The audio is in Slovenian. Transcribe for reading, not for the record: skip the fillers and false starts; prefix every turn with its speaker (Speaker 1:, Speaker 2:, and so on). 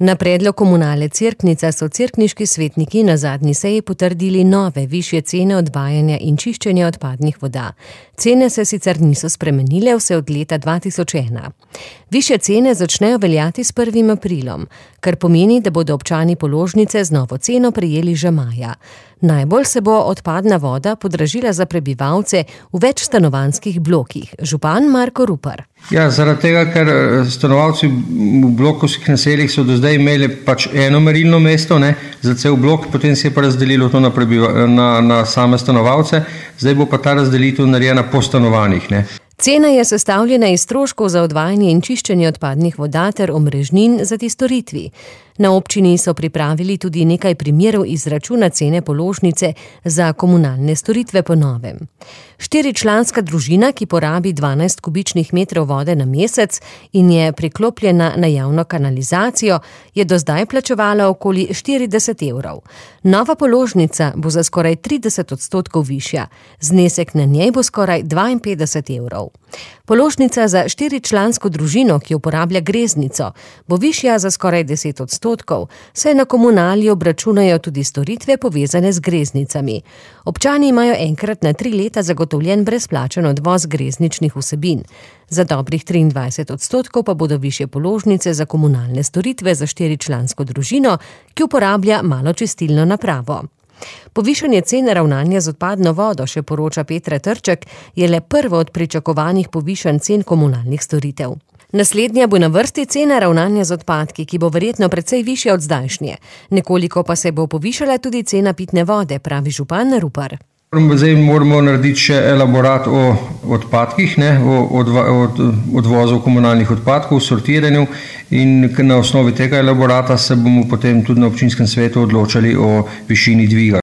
Speaker 1: Na predlog Komunale Cerknica so cerkniški svetniki na zadnji seji potrdili nove, višje cene odvajanja in čiščenja odpadnih voda. Cene se sicer niso spremenile vse od leta 2001. Višje cene začnejo veljati s 1. aprilom, kar pomeni, da bodo občani položnice z novo ceno prejeli že maja. Najbolj se bo odpadna voda podražila za prebivalce v večstanovanjskih blokih. Župan Marko Rupar.
Speaker 2: Ja, zaradi tega, ker stanovalci v blokovskih naseljih so do zdaj imeli pač eno merilno mesto, za cel blok, potem se je pa razdelilo to na same stanovalce, zdaj bo pa ta razdelitev narejena po stanovanjih.
Speaker 1: Cena je sestavljena iz stroškov za odvajanje in čiščenje odpadnih voda ter omrežnin za ti storitvi. Na občini so pripravili tudi nekaj primerov izračuna cene položnice za komunalne storitve po novem. 4-članska družina, ki porabi 12 kubičnih metrov vode na mesec in je priklopljena na javno kanalizacijo, je do zdaj plačevala okoli 40 evrov. Nova položnica bo za skoraj 30% višja, znesek na njej bo skoraj 52 evrov. Položnica za 4-člansko družino, ki uporablja greznico, bo višja za skoraj 10%, saj na komunali obračunajo tudi storitve povezane z greznicami. Občani imajo enkrat na 3 leta zagotovljen brezplačen odvoz grezničnih vsebin. Za dobrih 23% pa bodo višje položnice za komunalne storitve za 4-člansko družino, ki uporablja maločistilno napravo. Povišanje cene ravnanja z odpadno vodo, še poroča Petra Trček, je le prvo od pričakovanih povišanj cen komunalnih storitev. Naslednja bo na vrsti cena ravnanja z odpadki, ki bo verjetno precej višja od zdajšnje. Nekoliko pa se bo povišala tudi cena pitne vode, pravi župan Rupar.
Speaker 2: Zdaj moramo narediti še elaborat o odpadkih, o odvozu komunalnih odpadkov, sortiranju, in na osnovi tega elaborata se bomo potem tudi na občinskem svetu odločali o višini dviga.